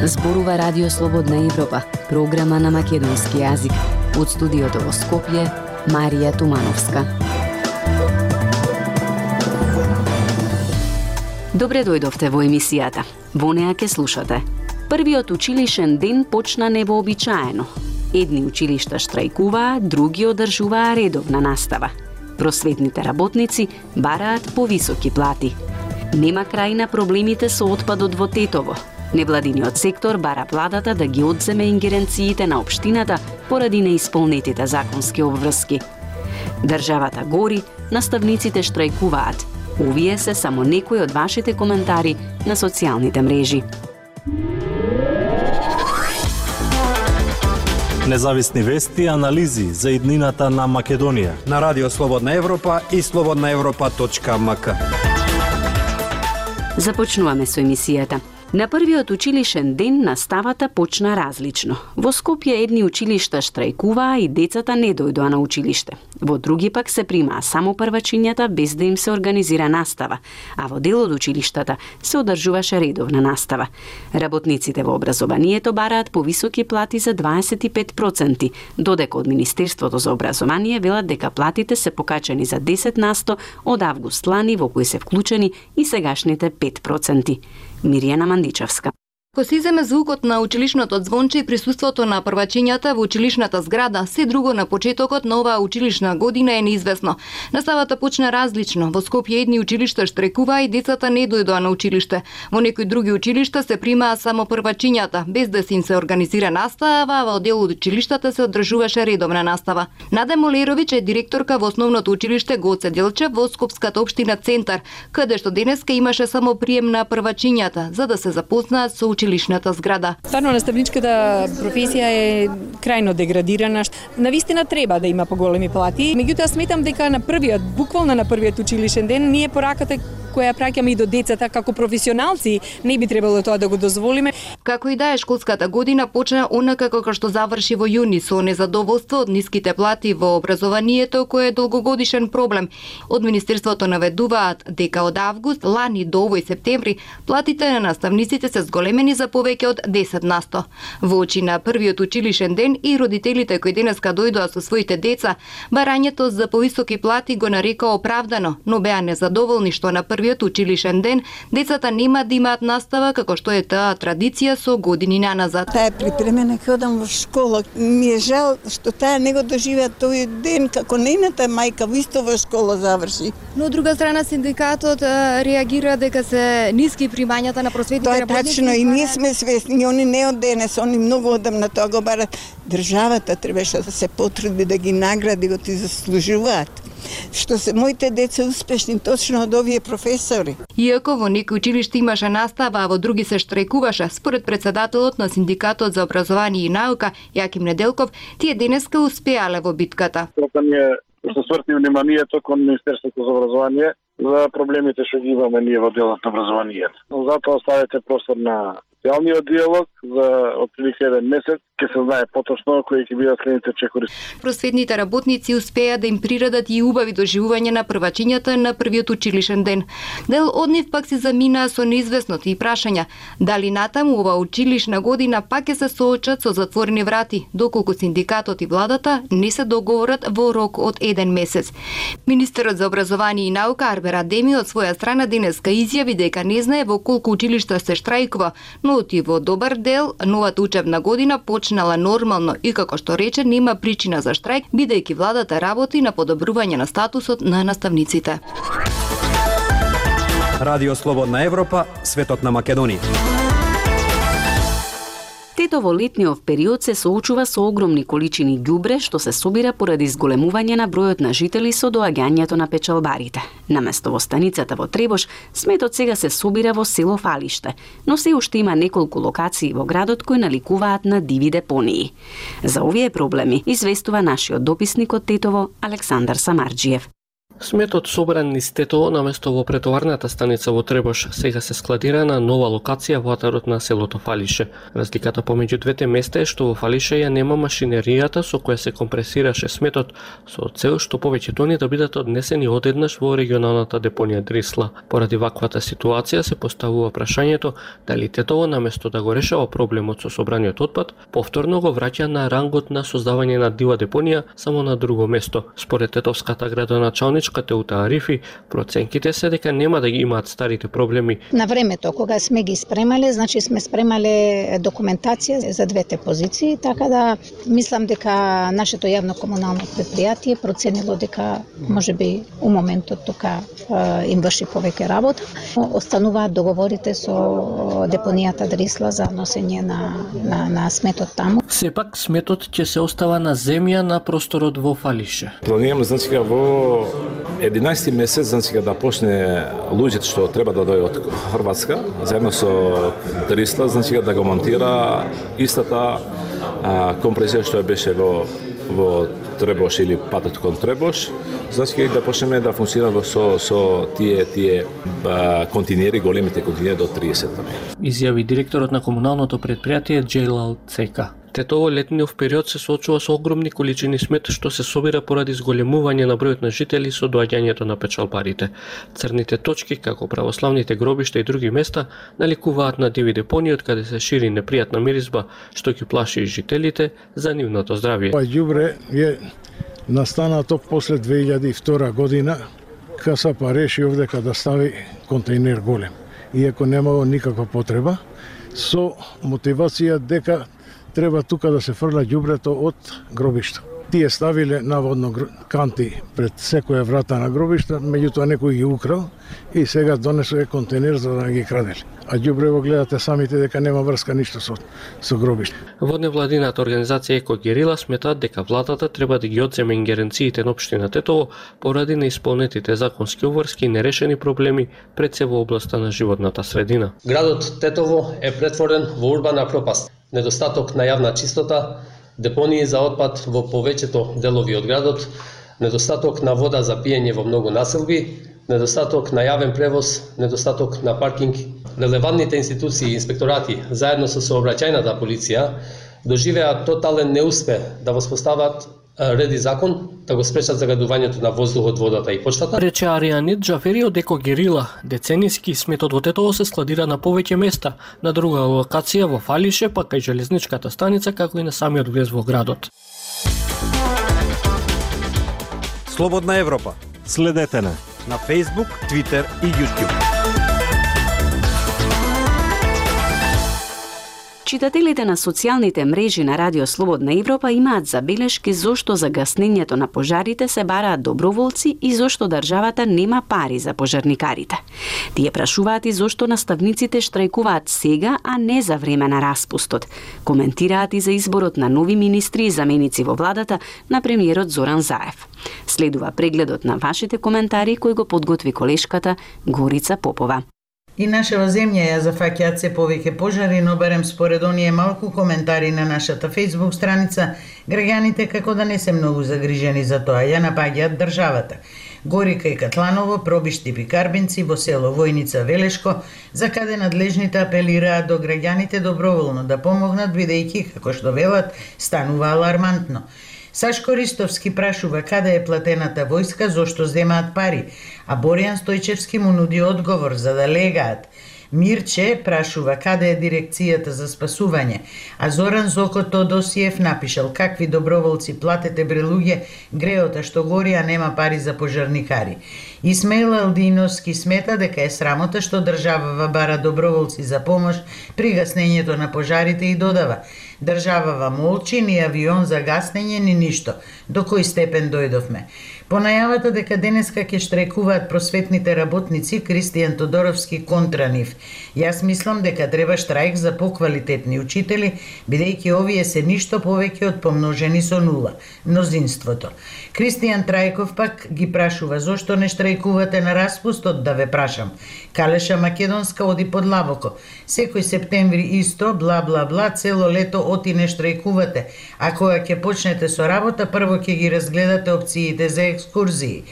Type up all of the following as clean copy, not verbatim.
Зборува Радио Слободна Европа, програма на македонски јазик. Од студиото во Скопје, Марија Тумановска. Добре дојдовте во емисијата. Во неа ке слушате. Првиот училишен ден почна невообичаено. Едни училишта штрајкуваа, други одржуваа редовна настава. Просветните работници бараат повисоки плати. Нема крај на проблемите со отпадот во Тетово. Невладиниот сектор бара владата да ги одземе ингеренциите на општината поради неисполнетите законски обврски. Државата гори, наставниците штрајкуваат. Овие се само некои од вашите коментари на социјалните мрежи. Независни вести и анализи за иднината на Македонија на Радио Слободна Европа и slobodnaevropa.mk. Започнуваме со емисијата. На првиот училишен ден наставата почна различно. Во Скопје едни училишта штрајкуваа и децата не дојдоа на училиште. Во други пак се примаа само првачињата без да им се организира настава, а во дел од училиштата се одржуваше редовна настава. Работниците во образованието бараат повисоки плати за 25%, додека од Министерството за образование велат дека платите се покачени за 10% од август лани, во кои се вклучени и сегашните 5%. Миријана Мандичевска. Ко се иземе звукот на училишното звонче и присуството на првачињата во училишната зграда, се друго на почетокот на оваа училишна година е неизвестно. Наставата почна различно. Во Скопје едни училишта штрајкуваа и децата не дојдоа на училиште. Во некои други училишта се примаа само првачињата, без да се им се организира настава, а во дел од училиштата се одржуваше редовна настава. Наде Молеровиќ е директорка во основното училиште Гоце Делчев во Скопската општина Центар, каде што денеска имаше само прием на првачињата, за да се запознаат со училишната зграда. Стварно наставничката професија е крајно деградирана. Навистина треба да има поголеми плати. Меѓутоа сметам дека буквално на првиот училишен ден, ние пораката која праќаме и до децата како професионалци, не би требало тоа да го дозволиме. Како и да е, школската година почна онака како што заврши во јуни, со незадоволство од ниските плати во образованието, кој е долгогодишен проблем. Од Министерството наведуваат дека од август лани до овој септември платите на наставниците се зголемени за повеќе од 10%. Во очи на првиот училишен ден и родителите кои денеска дојдоа со своите деца, барањето за повисоки плати го нарека оправдано, но беа незадоволни што на првиот училишен ден децата нема да имаат настава како што е таа традиција со години наназад. Таа е припремена ќе одам во школа. Ми е жал што таа не го доживеа тој ден како нејната мајка во исто во школа заврши. Но од друга страна синдикатот реагира дека се ниски примањата на просветните работници. Тоа е тачно и ние сме свесни, они не од денес, они многу одамна тоа го барат. Државата требаше да се потруди да ги награди, го ти заслужуваат. Што се моите деца успешни точно од овие професори. Иако во некои училишта имаше настава, а во други се штрајкуваше, според председателот на Синдикатот за образование и наука Јаким Неделков, тие денеска успеале во битката. Што сврти вниманието кон Министерството за образование за проблемите што ги имаме ние во делот на образованието. Затоа оставете простор на социјалниот диалог за отприлика еден месец, ќе се знае поточно кои ќе бидат следните чекори. Просветните работници успеа да им приредат и убави доживување на првачињата на првиот училишен ден. Дел од нив пак се заминаа со неизвестноти и прашања дали натаму ова училишна година пак ќе се соочат со затворени врати, доколку синдикатот и владата не се договорат во рок од еден месец. Министерот за образование и наука Арбер Адеми од своја страна денеска изјави дека не знае во колку училишта се штрајкува, но и во добар дел новата учебна година почнала нормално и како што рече нема причина за штрајк, бидејќи владата работи на подобрување на статусот на наставниците. Радио Слободна Европа, светот на Македонија. Тето во летниот период се соочува со огромни количини ѓубре што се собира поради зголемување на бројот на жители со доаѓањето на печалбарите. Наместо во станицата во Требош, сметот сега се собира во село Фалиште, но се уште има неколку локации во градот кои наликуваат на диви депонии. За овие проблеми известува нашиот дописник од Тетово Александар Самарџиев. Сметот собран низ Тетово наместо во претоварната станица во Требош сега се складира на нова локација во атарот на селото Фалише. Разликата помеѓу двете места е што во Фалише ја нема машинеријата со која се компресираше сметот, со цел што повеќе тони да бидат однесени одеднаш во регионалната депонија Дрисла. Поради ваквата ситуација се поставува прашањето дали Тетово наместо да го решава проблемот со собраниот отпад, повторно го враќа на рангот на создавање на дива депонија само на друго место. Според тетовската градоначалничка Теута Арифи, проценките се дека нема да ги имаат старите проблеми. На времето кога сме ги спремале, значи сме спремале документација за двете позиции, така да мислам дека нашето јавно комунално предпријатие проценило дека можеби у моментот тука им врши повеќе работа. Остануваат договорите со депонијата Дрисла за носење на сметот таму. Сепак сметот ќе се остава на земја на просторот во Фалише. Планираме значи во 11 месец значи да почне луѓето што треба да дојдат од Хрватска, заедно со Дрисла, значи да го монтира истата компресија што беше во Требош или патот кон Требош, значи да почнеме да функционира со тие континери, големите континери до 30 тони. Изјави директорот на комуналното предпријатие Джейлал Цека. Тетово летниот период се соочува со огромни количини смет што се собира поради зголемување на бројот на жители со доаѓањето на печалбарите. Црните точки, како православните гробишта и други места, наликуваат на диви депонии од каде се шири непријатна миризба што ги плаши и жителите за нивното здравје. Ѓубре е настанато после 2002 година, КСП реши овдека да стави контейнер голем, иако немало никаква потреба, со мотивација дека треба тука да се фрла ѓубрето од гробишта. Тие ставиле наводно канти пред секоја врата на гробишта, меѓутоа некој ги украл и сега донесоа контейнер за да ги крадели. А ѓубрево гледате самите дека нема врска ништо со гробишта. Во невладината организација Еко Герила сметаат дека владата треба да ги одземе ингеренциите на општина Тетово поради неисполнетите законски обврски и нерешени проблеми пред се во областа на животната средина. Градот Тетово е претворен во урбана пропаст. Недостаток на јавна чистота, депонии за отпад во повеќето делови од градот, недостаток на вода за пиење во многу населби, недостаток на јавен превоз, недостаток на паркинг. Релевантните институции и инспекторати, заедно со сообраќајната полиција, доживеа тотален неуспех да воспостават ред и закон, да го спречат загадувањето на воздухот, водата и почвата. Рече Арианит Джафери од Еко Герила, децениски сметот во Тетово се складира на повеќе места, на друга локација во Фалише, па кај железничката станица, како и на самиот влез во градот. Слободна Европа. Следете на Facebook, Twitter и YouTube. Читателите на социјалните мрежи на Радио Слободна Европа имаат забелешки зошто за гаснењето на пожарите се бараат доброволци и зошто државата нема пари за пожарникарите. Тие прашуваат и зошто наставниците штрајкуваат сега, а не за време на распустот. Коментираат и за изборот на нови министри и заменици во владата на премиерот Зоран Заев. Следува прегледот на вашите коментари кој го подготви колешката Горица Попова. И нашава земја ја зафаќаат се повеќе пожари, но барем според оние малку коментари на нашата Facebook страница, граѓаните како да не се многу загрижени за тоа, ја напаѓаат државата. Горика и Катланово, Пробишти и Карбинци во село Војница Велешко, за каде надлежните апелираат до граѓаните доброволно да помогнат, бидејќи, како што велат, станува алармантно. Сашко Ристовски прашува каде е платената војска, зошто земаат пари, а Боријан Стојчевски му нуди одговор за да легаат. Мирче прашува каде е дирекцијата за спасување, а Зоран Зоко Тодосиев напишал какви доброволци платете бре луѓе, греота што гори, а нема пари за пожарникари. Исмаил Алдиновски смета дека е срамота што државава бара доброволци за помош при гаснењето на пожарите и додава: државава молчи, ни авион за гаснење, ни ништо. До кој степен дојдовме? По најавата дека денеска ќе штрајкуваат просветните работници, Кристијан Тодоровски контра нив. Јас мислам дека треба штрајк за поквалитетни учители, бидејќи овие се ништо повеќе од помножени со нула, мнозинството. Кристијан Трајков пак ги прашува зошто не штрајкувате на распустот, да ве прашам. Калеша Македонска оди под лабоко. Секој септември исто, бла бла бла, цело лето оти не штрајкувате. А кога ќе почнете со работа, прво ќе ги разгледате опциите за екскурзии.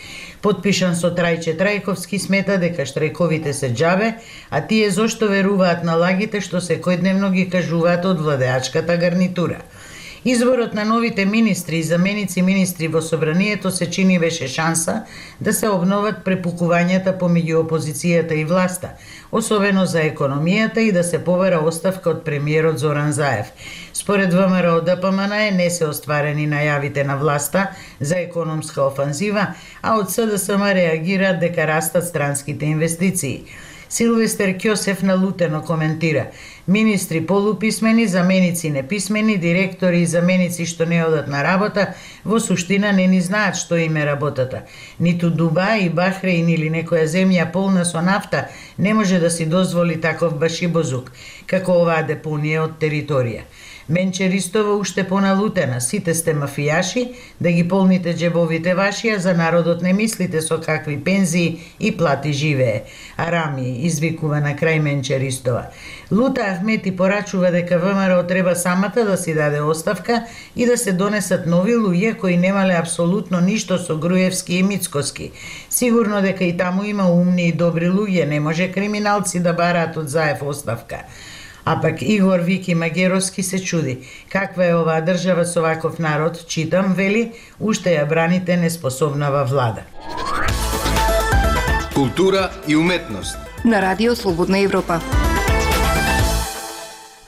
Потпишан со Трајче Трајковски, смета дека штрајковите се џабе, а тие зошто веруваат на лагите што секојдневно ги кажуваат од владеачката гарнитура. Изборот на новите министри и заменици министри во собранието се чини беше шанса да се обноват препукувањата помеѓу опозицијата и власта, особено за економијата, и да се побара оставка од премиерот Зоран Заев. Според ВМРО ДПМН не се остварени најавите на власта за економска офанзива, а од СДСМ реагираат дека растат странските инвестиции. Силвестер Ќосев налутено коментира: министри полуписмени, заменици неписмени, директори и заменици што не одат на работа, во суштина не ни знаат што им е работата. Ниту Дубај, Бахреин или некоја земја полна со нафта не може да си дозволи таков башибозук, како оваа депонија од територија. Менче Ристова уште поналутена: сите сте мафијаши, да ги полните джебовите ваши, а за народот не мислите со какви пензии и плати живее. Арами, извикува на крај Менче Ристова. Лута Ахмети порачува дека ВМРО треба самата да си даде оставка и да се донесат нови луѓе кои немале апсолутно ништо со Груевски и Мицкоски. Сигурно дека и таму има умни и добри луѓе, не може криминалци да бараат од Заев оставка. А пак Игор Вики Магеровски се чуди: каква е оваа држава со ваков народ, читам, вели, уште ја браните неспособнава влада. Култура и уметност на Радио Слободна Европа.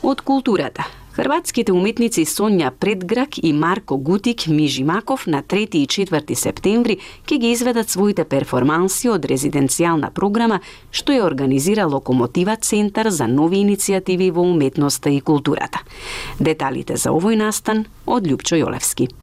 Од културата. Хрватските уметници Сонја Предграк и Марко Гутик Мижимаков на 3 и 4 септември ќе ги изведат своите перформанси од резиденцијална програма што ја организира Локомотива Центар за нови иницијативи во уметноста и културата. Деталите за овој настан од Љупчо Јолевски.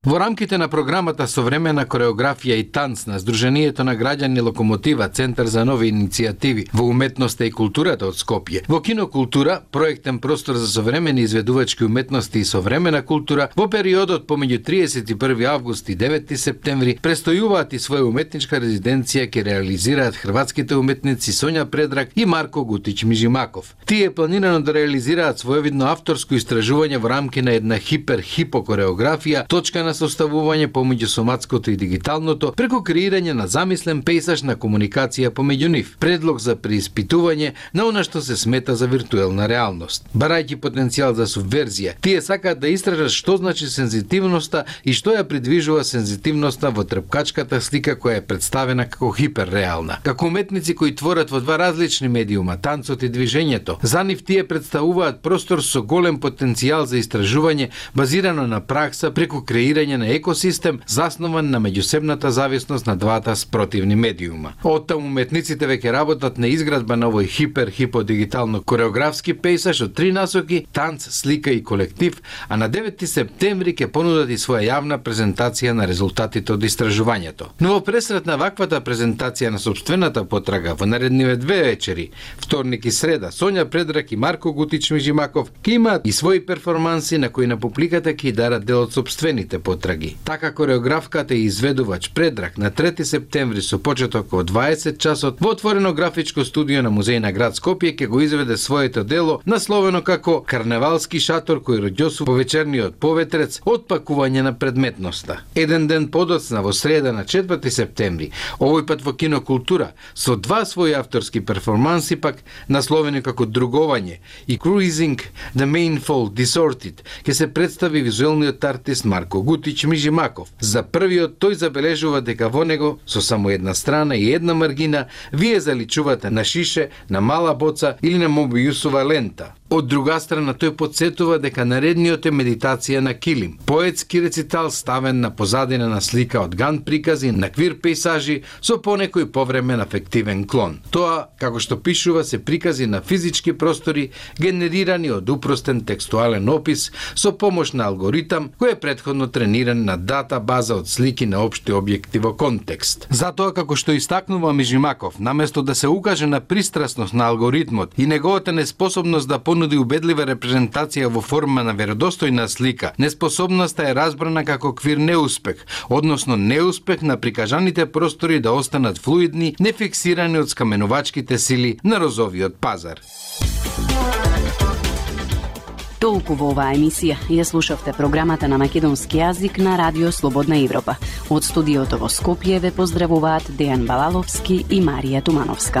Во рамките на програмата Современа кореографија и танц на Сдруженијето на граѓани Локомотива Центар за нови иницијативи во уметноста и културата од Скопје, во Кинокултура, проектен простор за современи изведувачки уметности и современа култура, во периодот помеѓу 31 август и 9 септември престојуваат и своја уметничка резиденција ќе реализираат хрватските уметници Сонја Предрак и Марко Гутич Мижимаков. Тие планирано да реализираат своевидно авторско истражување во рамки на една хипер-хипо-кореографија, точка на составување помеѓу соматското и дигиталното, преку креирање на замислен пейсаж на комуникација помеѓу нив, предлог за преиспитување на она што се смета за виртуелна реалност. Барајќи потенцијал за субверзија, тие сакаат да истражат што значи сензитивноста и што ја придвижува сензитивноста во трпкачката слика која е представена како хиперреална. Како уметници кои творат во два различни медиума, танцот и движењето, за нив тие представуваат простор со голем потенцијал за истражување базирано на пракса преку креирање на екосистем заснован на меѓусебната зависност на двата спротивни медиума. Оттаму уметниците веќе работат на изградба на овој хипер-хиподигитално кореографски пейсаж од три насоки: танц, слика и колектив, а на 9 септември ќе понудат и своја јавна презентација на резултатите од истражувањето. Но во пресрет на ваквата презентација на собствената потрага во наредниве две вечери, вторник и среда, Сонја Предрак и Марко Гутич Мижимаков ќе имаат и своји перформанси на кои на публиката ќе дарат дел од собствените потраги. Така кореографката и изведувач Предрак на 3 септември со почеток во 20 часот во отворено графичко студио на Музеј на град Скопје ќе го изведе своето дело насловено како Карневалски шатор кој роѓосу по вечерниот поветрец од пакување на предметноста. Еден ден подоцна во среда на 4 септември, овој пат во Кинокултура, со два своји авторски перформанси пак насловени како Друговање и Cruising the Mainfold Distorted, ќе се представи визуелниот артист Марко Гутич Мижимаков. За првиот тој забележува дека во него со само една страна и една маргина вие заличувате на шише, на мала боца или на мобиусова лента. Од друга страна тој подсетува дека наредниот е медитација на килим, поетски рецитал ставен на позадина на слика од ган прикази на квир пейсажи со понекој повремен афективен клон. Тоа, како што пишува, се прикази на физички простори генерирани од упростен текстуален опис со помош на алгоритам кој е претходно трениран на дата база од слики на општи објекти во контекст. Затоа, како што истакнува Мижимаков, наместо да се укаже на пристрасност на алгоритмот и неговата неспособност да понуди убедлива репрезентација во форма на веродостојна слика, неспособноста е разбрана како квир неуспех, односно неуспех на прикажаните простори да останат флуидни, нефиксирани од скаменувачките сили на розовиот пазар. Толку во оваа емисија ја слушавте програмата на македонски јазик на Радио Слободна Европа. Од студиото во Скопје ве поздравуваат Дејан Балаловски и Марија Тумановска.